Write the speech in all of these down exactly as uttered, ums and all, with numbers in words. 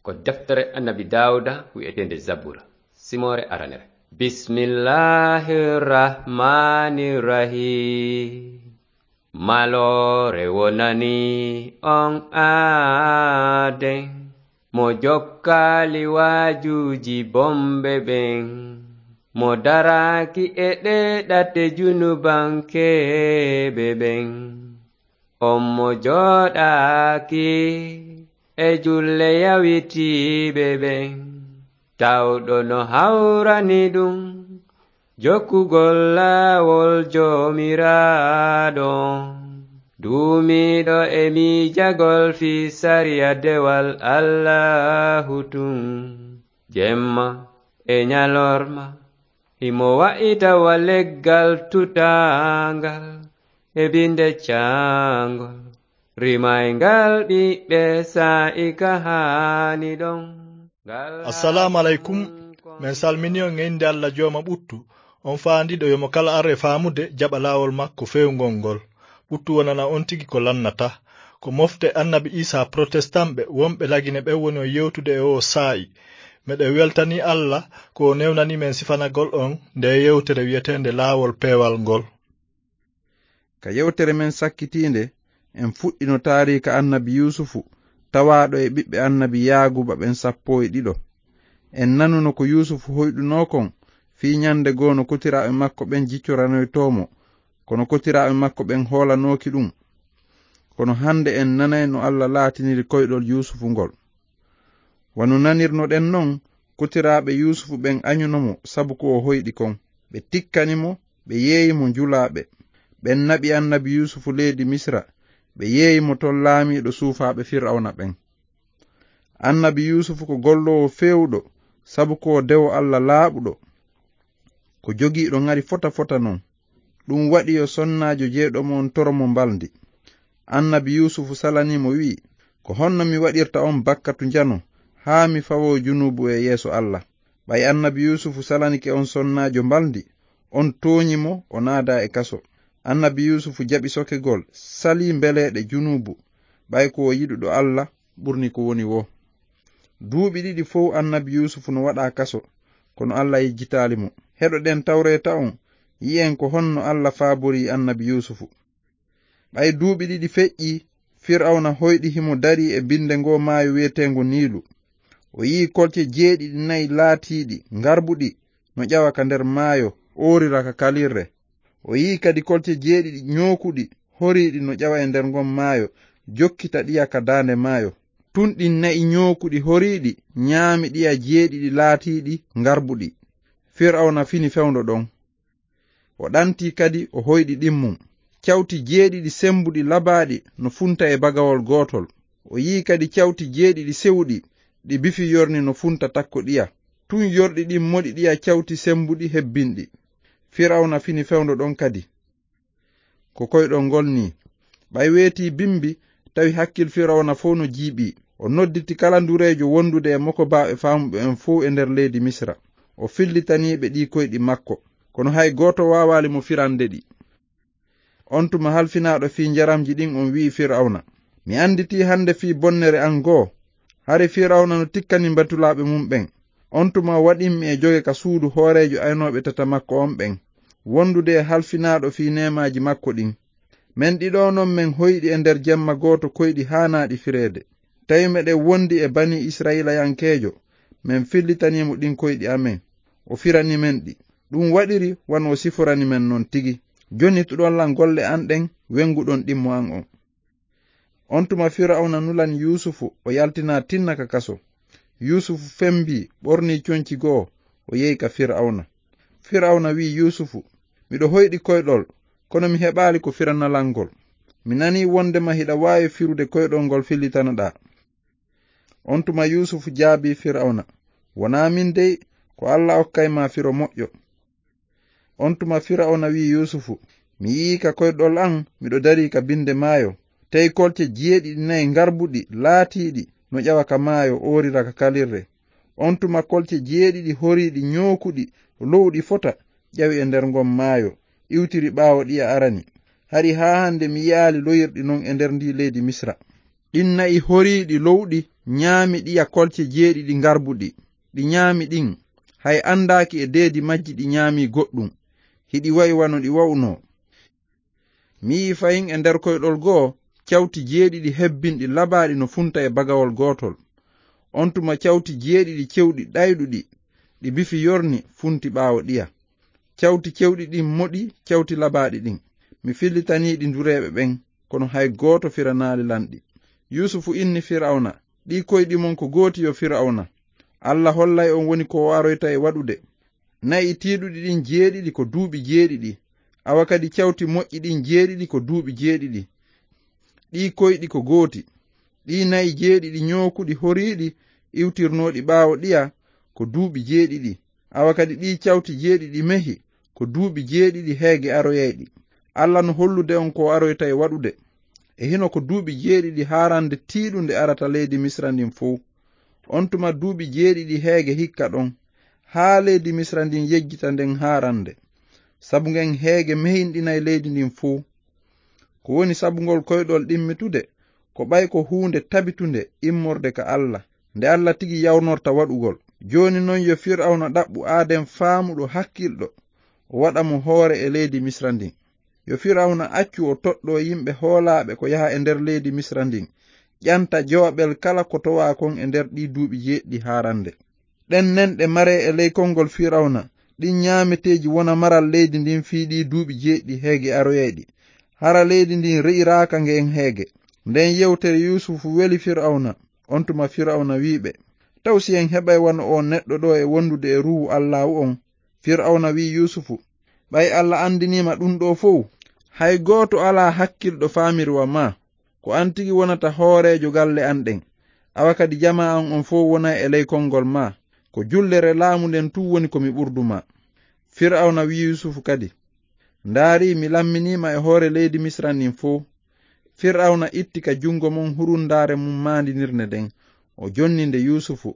Ko deftere Annabi Daawuda wi'eteende Zabura, simoore aranere. Bismillahir Rahmanir Rahim. Maloore wonani on aaden, mo jokkaali waajuuji bomɓe ɓen, mo daraaki e ɗee ɗate junubankeeɓe ɓen. On mo jooɗaaki e julle yawitiiɓe ɓen, tawɗo no hawrani ɗum jokkugol laawol Joomiraaɗo. Duumiiɗo e miijagol fii sariya dewal Allaahu tun, jemma e ñalorma, himo wa'ita wa leggal tutaangal e binde caangol, rimayngal ɓiɓɓe saa'i ka haani ɗon. Ngal Assalaamu aleykum. Men salmini on e innde Alla Jooma ɓuttu, on faandiiɗo yo mo kala ar e faamude jaɓa laawol makko feewngol ngol. Ɓuttu wonana on tigi ko lannata. Ko mofte Annabi Iisaa protestant ɓe wonɓe Lagine ɓen woni on yewtude e oo saa'i. Meɗen weltanii Alla ko o newnanii men sifanagol on ndee yewtere wi'eteende Laawol Peewal ngol. Ka yewtere men sakkitiinde, en fuɗɗino taariika Annabi Yuusufu, tawaaɗo e ɓiɓɓe Annabi Yaaguuba ɓen sappo e ɗiɗo. En nanuno ko Yuusufu hoyɗunoo kon, fii ñande goo no kotiraaɓe makko ɓen jiccoranoytoo mo, kono kotiraaɓe makko ɓen hoolanooki ɗum. Kono hande en nanay no Alla laatiniri koyɗol Yuusufu ngol. Wano nanirnoɗen non, kotiraaɓe Yuusufu ɓen añuno mo sabu ko o hoyɗi kon. Ɓe tikkani mo, ɓe yeeyi mo njulaaɓe. Ɓen naɓi Annabi Yuusufu leydi Misra, ɓe yeeyi mo ton laamiiɗo suufaaɓe Fir'awna ɓen. Annabi Yuusufu ko golloowo feewuɗo, sabu ko o dewo Alla laaɓuɗo. Ko jogiiɗo ŋari fota fota non. Ɗum waɗi yo sonnaajo jeyɗo mo on toro mo mbalndi. Annabi Yuusufu salanii mo wi'i, "Ko honno mi waɗirta on bakkatu njano, haa mi fawoo junuubu e yeeso Alla?" Ɓay Annabi Yuusufu salanike on sonnaajo mbalndi, on tooñi mo, o naadaa e kaso. Annabi Yuusufu jaɓi sokegol, salii mbeleeɗe junuubu, ɓay ko o yiɗuɗo Alla, ɓurni ko woni woo. Duuɓi ɗiɗi fow Annabi Yuusufu no waɗaa kaso, kono Alla yejjitaali mo. Heɗoɗen Tawreeta on, yi'en ko honno Alla faaborii Annabi Yuusufu. Ɓay duuɓi ɗiɗi feƴƴii, Fir'awna hoyɗi himo darii e binde ngoo maayo wi'eteengo Niilu. O yi'i kolce jeeɗiɗi na'i laatiiɗi ngarbuɗi no ƴawa ka nder maayo, oorira ka kalirre. O yi'i kadi kolce jeeɗiɗi ñookuɗi horiiɗi no ƴawa e nder ngon maayo, jokkita ɗiya ka daande maayo. Tun ɗin na'i ñookuɗi horiiɗi ñaami ɗiya jeeɗiɗi laatiiɗi ngarbuɗi. Fir'awna fini fewndo ɗon. O ɗantii kadi, o hoyɗi ɗimmum. Cawti jeeɗiɗi sembuɗi labaaɗi no funta e bagawol gootol. O yi'i kadi cawti jeeɗiɗi sewuɗi, ɗi bifi yorni no funta takko ɗiya. Tun yorɗi ɗin moɗi ɗiya cawti sembuɗi hebbinɗi. Fir'awna fini fewndo ɗon kadi. Ko koyɗol ngol nii. Ɓay weetii bimbi, tawi hakkil Fir'awna fow no jiiɓii. O nodditi kala ndureejo wondude e mokobaaɓe faamuɓe en fow e nder leydi Misra. O fillitanii ɓe ɗii koyɗi makko. Kono hay gooto waawaali mo firande ɗi. On tuma halfinaaɗo fii njaramji ɗin on wi'i Fir'awna, "Mi anditii hande fii bonnere an goo." Hari Fir'awna no tikkani mbatulaaɓe mum ɓen. On tuma o waɗimmi e joge ka suudu hooreejo aynooɓe tata makko on ɓen, wondude e halfinaaɗo fii neemaaji makko ɗin. Men ɗiɗo non men hoyɗi e nder jemma gooto koyɗi haanaaɗi fireede. Tawi meɗen wondi e banii Isra'iilayankeejo, men fillitanii mo ɗin koyɗi amen. O firani men ɗi. Ɗum waɗiri wano o siforani men non tigi. Jonnituɗon lan golle an ɗen, wenguɗon ɗimmo an on. On tuma Fir'awna nulani Yuusufu, o yaltinaa tinna ka kaso. Yuusufu fembii, ɓornii conci goo, o yehi ka Fir'awna. Fir'awna wi'i Yuusufu, "Miɗo hoyɗi koyɗol, kono mi heɓaali ko firanaa lan ngol. Mi nanii wondema hiɗa waawi firude koyɗol ngol fillitanaɗaa." On tuma Yuusufu jaabii Fir'awna, "Wonaa min dey, ko Alla okkay ma firo moƴƴo." On tuma Fir'awna wi'i Yuusufu, "Mi yi'ii ka koyɗol an, miɗo darii ka binde maayo. Tawi kolce jeeɗiɗi nayi ngarbuɗi, laatiiɗi, no ƴawa ka maayo, oorira ka kalirre. On tuma kolce jeeɗiɗi horiiɗi, ñookuɗi, lowɗi fota, ƴawi e nder ngon maayo, iwtiri ɓaawo ɗiya arani. Hari haa hande mi yi'aali loyirɗi non e nder ndii leydi Misra." Ɗin na'i horiiɗi lowɗi nyaami ɗiya kolce jeeɗiɗi ngarbuɗi. Ɗi nyaami ɗin, hay anndaaki e deedi majji ɗi nyaami goɗɗum. Hiɗi wa'i wano ɗi wa'unoo. Mi yi'i fahin e nder koyɗol goo, cawti jeeɗiɗi hebbinɗi labaaɗi no funta e bagawol gootol. On tuma cawti jeeɗiɗi cewɗi ɗayɗuɗi, ɗi bifi yorni, funti ɓaawo ɗiya. Cawti cewɗi ɗin moɗi cawti labaaɗi ɗin. Mi fillitanii ɗi ndureeɓe ɓen, kono hay gooto firanaali lan ɗi. Yuusufu inni Fir'awna, "Ɗii koyɗi mon ko gooti, yo Fir'awna. Alla hollay on woni ko o aroyta e waɗude. Na'i tiiɗuɗi ɗin jeeɗiɗi ko duuɓi jeeɗiɗi, awa kadi cawti moƴƴi ɗin jeeɗiɗi ko duuɓi jeeɗiɗi. Ɗii koyɗi ko gooti. Ɗii na'i jeeɗiɗi ñookuɗi horiiɗi iwtirnooɗi ɓaawo ɗiya ko duuɓi jeeɗiɗi, awa kadi ɗii cawti jeeɗiɗi mehi ko duuɓi jeeɗiɗi heege aroyayɗi. Alla no hollude on ko o aroyta e waɗude. E hino ko duuɓi jeeɗiɗi haarande tiiɗunde arata leydi Misra ndin fow. On tuma duuɓi jeeɗiɗi heege hikka ɗon, haa leydi Misra ndin yejjita nden haarande. Sabu ngen heege mehinɗinay leydi ndin fow." Ko woni sabu ngol koyɗol ɗimmitude, ko ɓay ko huunde tabitunde immorde ka Alla, nde Alla tigi yawnorta waɗugol. Jooni non yo Fir'awna ɗaɓɓu aaden faamuɗo hakkilɗo, o waɗa mo hoore e leydi Misra ndin. Yo Fir'awna accu o toɗɗoo yimɓe hoolaaɓe ko yaha e nder leydi Misra ndin, ƴanta jowaɓel kala ko towaa kon e nder ɗii duuɓi jeeɗiɗi haarande. Ɗen nenɗe maree e ley konngol Fir'awna, ɗin ñaameteeji wona maral leydi ndin fii ɗii duuɓi jeeɗiɗi heege aroyayɗi. Hara leydi ndin re'iraaka ngen heege. Nden yewtere Yuusufu weli Fir'awna. On tuma Fir'awna wi'i ɓe, "Taw si en heɓay wano oo neɗɗo ɗoo e wondude e Ruuhu Allaahu on?" Fir'awna wi'i Yuusufu, "Ɓay Alla anndinii ma ɗun ɗoo fow, hay gooto alaa hakkilɗo faamiri wa maa. Ko an tigi wonata hooreejo galle an ɗen. Awa kadi jamaa an on fow wonay e ley konngol maa. Ko jullere laamu nden tun woni ko mi ɓurdu maa." Fir'awna wi'i Yuusufu kadi, "Ndaarii, mi lamminii ma e hoore leydi Misra ndin fow." Fir'awna itti ka junngo mun hurundaare mun maandinirnde nden, o jonni nde Yuusufu.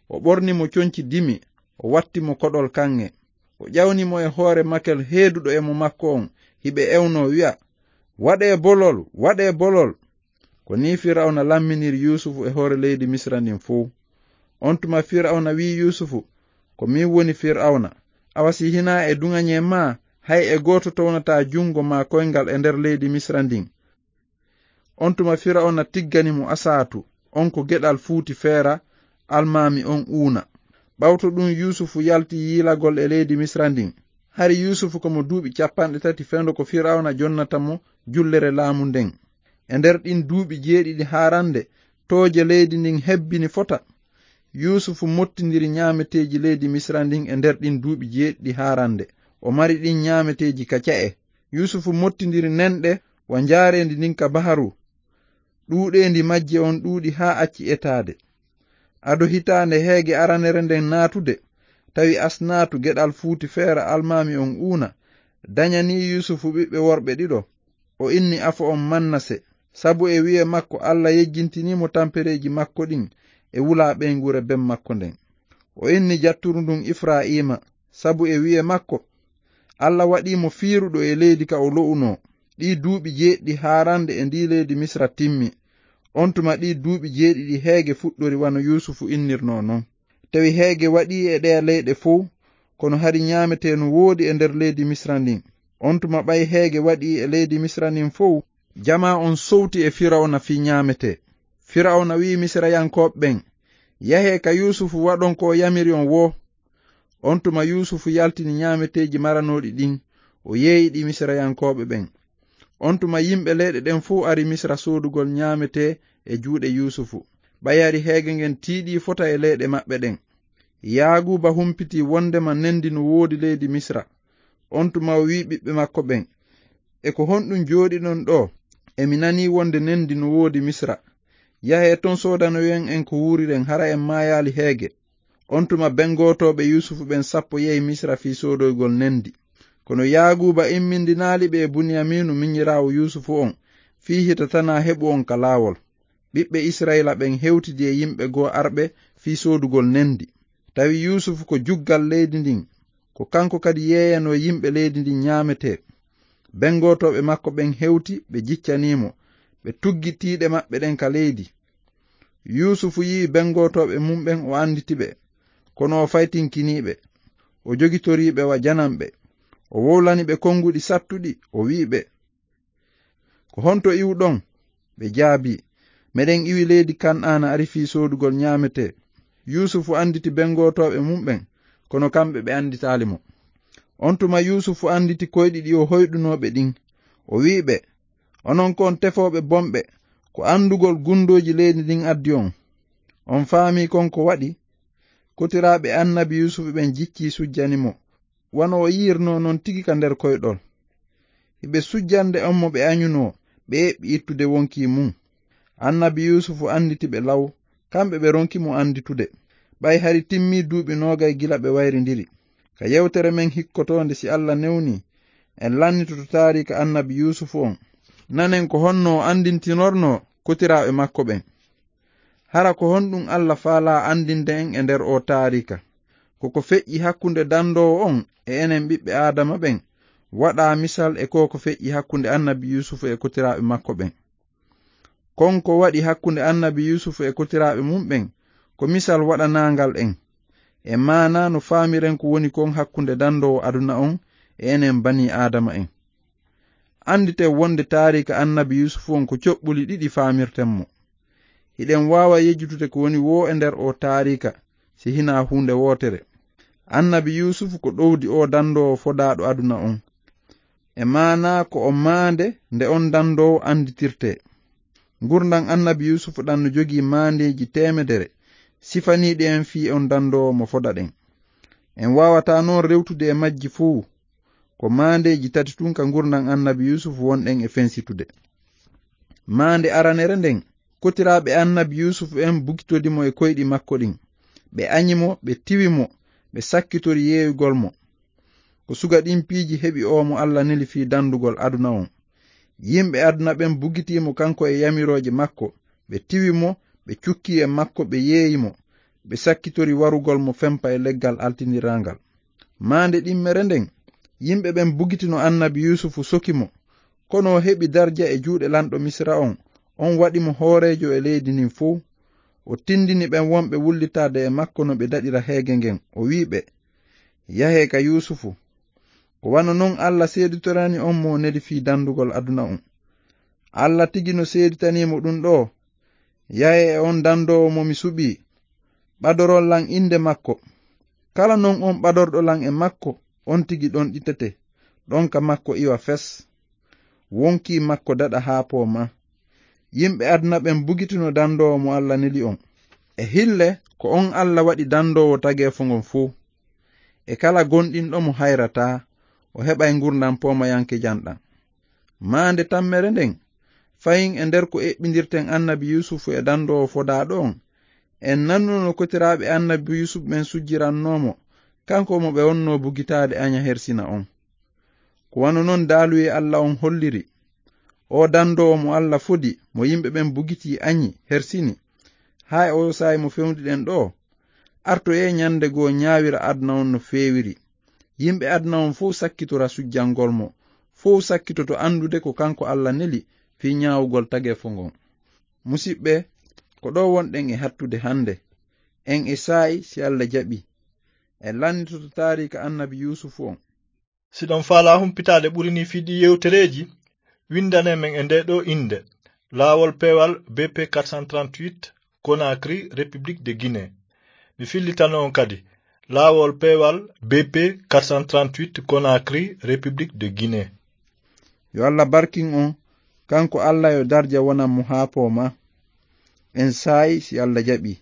O ɓorni mo conci dimi, o watti mo koɗol kaŋŋe. O ƴawni mo e hoore makel heeduɗo e mo makko on, hiɓe ewnoo wi'a, "Waɗee bolol, waɗee bolol!" Ko nii Fir'awna lamminiri Yuusufu e hoore leydi Misra ndin fow. On tuma Fir'awna wi'i Yuusufu, "Ko min woni Fir'awna. Awa si hinaa e duŋañee maa, hay e gooto townataa junngo maa koyngal e nder leydi Misra ndin." On tuma Fir'awna tiggani mo Asaatu, on ko geɗal Fuuti Feera, almaami on Uuna. Ɓawto ɗun Yuusufu yalti yiilagol e leydi Misra ndin. Hari Yuusufu ko mo duuɓi capanɗe tati fendo ko Fir'awna jonnata mo jullere laamu nden. E nder ɗin duuɓi jeeɗiɗi haarande, tooje leydi ndin hebbini fota. Yuusufu mottindiri ñaameteeji leydi Misra ndin e nder ɗin duuɓi jeeɗiɗi haarande. O mari ɗin ñaameteeji ka ca'e. Yuusufu mottindiri nenɗe wa njaareendi ndin ka baharu. Ɗuuɗeendi majje on ɗuuɗi haa acci etaade. Ado hitaande heege aranere nden naatude, tawi Asnaatu geɗal Fuuti Feera almaami on Uuna dañanii Yuusufu ɓiɓɓe worɓe ɗiɗo. O inni afo on Mannase, sabu e wi'e makko Alla yejjintinii mo tampereeji makko ɗin e wulaa ɓeynguure ben makko nden. O inni jatturu ndun Ifra'iima, sabu e wi'e makko Alla waɗii mo fiiruɗo e leydi ka o lo'unoo. Ɗii duuɓi jeeɗiɗi haarande e ndii leydi Misra timmi. On tuma ɗii duuɓi jeeɗiɗi heege fuɗɗori wano Yuusufu innirnoo non. Tawi heege waɗii e ɗeya leyɗe fow, kono hari ñaametee no woodi e nder leydi Misra ndin. On tuma ɓay heege waɗii e leydi Misra ndin fow, jamaa on sowti e Firawna fii ñaametee. Firawna wi'i Misirayankooɓe ɓen, "Yahee ka Yuusufu waɗon ko o yamiri on woo." On tuma Yuusufu yaltini ñaameteeji maranooɗi ɗin, o yeeyi ɗi Misirayankooɓe ɓen. On tuma yimɓe leyɗe ɗen fow ari Misira soodugol ñaametee e juuɗe Yuusufu. Ɓay hari heege ngen tiiɗii fota e leyɗe maɓɓe ɗen. Yaaguuba humpitii wondema nendi no woodi leydi Misira. On tuma o wi'i ɓiɓɓe makko ɓen, "E ko honɗun jooɗiɗon ɗoo? E mi nanii wonde nendi no woodi Misira. Yahee ton soodanoyen en ko wuuriren, hara en maayaali heege." On tuma bengotooɓe Yuusufu ɓen sappo yehi Misira fii soodoygol nendi. Kono Yaaguuba immindinaali ɓe e Buniyamiinu minyiraawo Yuusufu on, fii hita tanaa heɓu on ka laawol. Ɓiɓɓe Isra'iila ɓen hewtidi e yimɓe goo arɓe fii soodugol nendi. Tawi Yuusufu ko juggal leydi ndin, ko kanko kadi yeeyanoo yimɓe leydi ndin ñaametee. Bengotooɓe makko ɓen hewti, ɓe jiccanii mo. ɓe tuggi tiiɗe maɓɓe ɗen ka leydi. Yuusufu yi'i bengotooɓe mum ɓen, o annditi ɓe, kono o faytinkinii ɓe. O jogitori ɓe wa jananɓe. O wowlani ɓe konnguɗi sattuɗi, o wi'i ɓe, "Ko honto iwɗon?" Ɓe jaabii, "Meɗen iwi leydi Kan'aana, ari fii soodugol ɲaametee." Yuusufu annditi bengotooɓe mum ɓen, kono kamɓe ɓe annditaali mo. On tuma Yuusufu annditi koyɗi ɗi o hoyɗunoo ɓe ɗin. O wi'i ɓe, "Onon kon tefooɓe bonɓe, ko anndugol gundooji leydi ndin addi on. On faamii kon ko waɗi?" Kotiraaɓe annabi Yuusufu ɓen jiccii sujjani mo, wano o yi'irnoo non tigi ka nder koyɗol. Hiɓe sujjande on mo ɓe aɲunoo, ɓe eɓɓi ittude wonkii mum. Annabi Yuusufu annditi ɓe law, kamɓe ɓe ronki mo annditude, ɓay hari timmii duuɓi noogay gila ɓe wayrindiri. Ka yewtere men hikkotoonde, si Alla newnii, en lannitoto taariika annabi Yuusufu on. Nanen ko honno o anndintinornoo kotiraaɓe makko ɓen. Hara ko honɗun Alla faalaa anndinde en e nder oo taariika? Ko ko feƴƴi hakkunde dandoowo on e enen ɓiɓɓe Aadama ɓen waɗaa misal e ko ko feƴƴi hakkunde annabi Yuusufu e kotiraaɓe makko ɓen. Kon ko waɗi hakkunde annabi Yuusufu e kotiraaɓe mum ɓen ko misal waɗanaangal en. E maanaa no faamiren ko woni kon hakkunde dandoowo aduna on e enen banii Aadama en. Annditen wonde taariika annabi Yuusufu on ko coɓɓuli ɗiɗi faamirten mo. Hiɗen waawa yejjitude ko woni woo e nder oo taariika, si hinaa huunde wootere. Annabi Yuusufu ko ɗowdi oo dandoowo fodaaɗo aduna on. E maanaa ko o maande nde on dandoowo annditirtee. Ngurndan annabi Yuusufu ɗan no jogii maandeeji teemedere, sifaniiɗi en fii on dandoowo mo fodaɗen. En waawataa non rewtude e majji fow. Ko maandeeji tati tun ka ngurndan annabi Yuusufu wonɗen e fensitude. Maande aranere nden, kotiraaɓe annabi Yuusufu en bugitodi mo e koyɗi makko ɗin. Ɓe aɲi mo, ɓe tiwi mo, ɓe sakkitori yeeyugol mo. Ko suga ɗin piiji heɓi oo mo Alla neli fii dandugol aduna on. Yimɓe aduna ɓen bugitii mo kanko e yamirooje makko, ɓe tiwi mo, ɓe cukkii e makko, ɓe yeeyi mo, ɓe sakkitori warugol mo fempa e leggal altindiraangal. Maande ɗimmere nden, yimɓe ɓen bugitino annabi Yuusufu soki mo, kono o heɓi darja e juuɗe lanɗo Misira on, on waɗi mo hooreejo e leydi ndin fow. O tindini ɓen wonɓe wullitaade e makko no ɓe daɗira heege ngen, o wi'i ɓe, "Yahee ka Yuusufu, ko wano non Alla seeditorani on mo neli fii dandugol aduna on. Alla tigi no seeditanii mo ɗun ɗoo. Yahee e on dandoowo mo mi suɓii, ɓadoron lan innde makko. Kala non on ɓadorɗo lan e makko, on tigi ɗonɗitete, ɗon ka makko iwa fes. Wonkii makko daɗa haa poomaa." Yimɓe aduna ɓen bugitino dandoowo mo Alla neli on. E hille, ko on Alla waɗi dandoowo tageefo ngon fow. E kala gomɗinɗo mo hayrataa, o heɓay ngurndan poomayankejan ɗan. Maande tammere nden, fahin e nder ko eɓɓindirten annabi Yuusufu e dandoowo fodaaɗo on, en nanuno no kotiraaɓe annabi Yuusufu ɓen sujjirannoo mo, kanko mo ɓe wonnoo bugitaade aɲa hersina on. Ko wano non daaluyee Alla on holliri. Oo dandoowo mo Alla fodi, mo yimɓe ɓen bugitii aɲi, hersini, haa e oo saa'i mo fewndiɗen ɗoo, artoyee ɲande goo ɲaawira aduna on no feewiri. Yimɓe aduna on fow sakkitora sujjangol mo, fow sakkitoto anndude ko kanko Alla neli fii ɲaawugol tageefo ngon. Musiɓɓe, ko ɗoo wonɗen e hattude hande. En e saa'i, si Alla jaɓii, en lannitoto taariika annabi Yuusufu on. Si ɗon faalaa humpitaade ɓuri nii fii ɗii yewtereeji, winndane men e ndee ɗoo innde, Laawol Peewal B P quatre cent trente-huit, Conakry, République de Guinée. Mi fillitano on kadi, Laawol Peewal B P quatre cent trente-huit, Conakry, République de Guinée. Yo Alla barkin on, kanko Alla yo darja wonan mo haa poomaa. En saa'i si Alla jaɓii.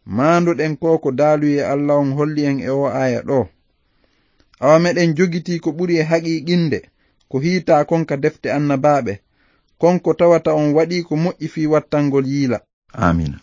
Maanduɗen ko ko daaluyee Alla on holli en e oo aaya ɗoo. Awa meɗen jogitii ko ɓuri e haqiiqinde, ko hiitaa kon ka defte annabaaɓe, kon ko tawata on waɗii ko moƴƴi fii wattangol yiila. Aamiina.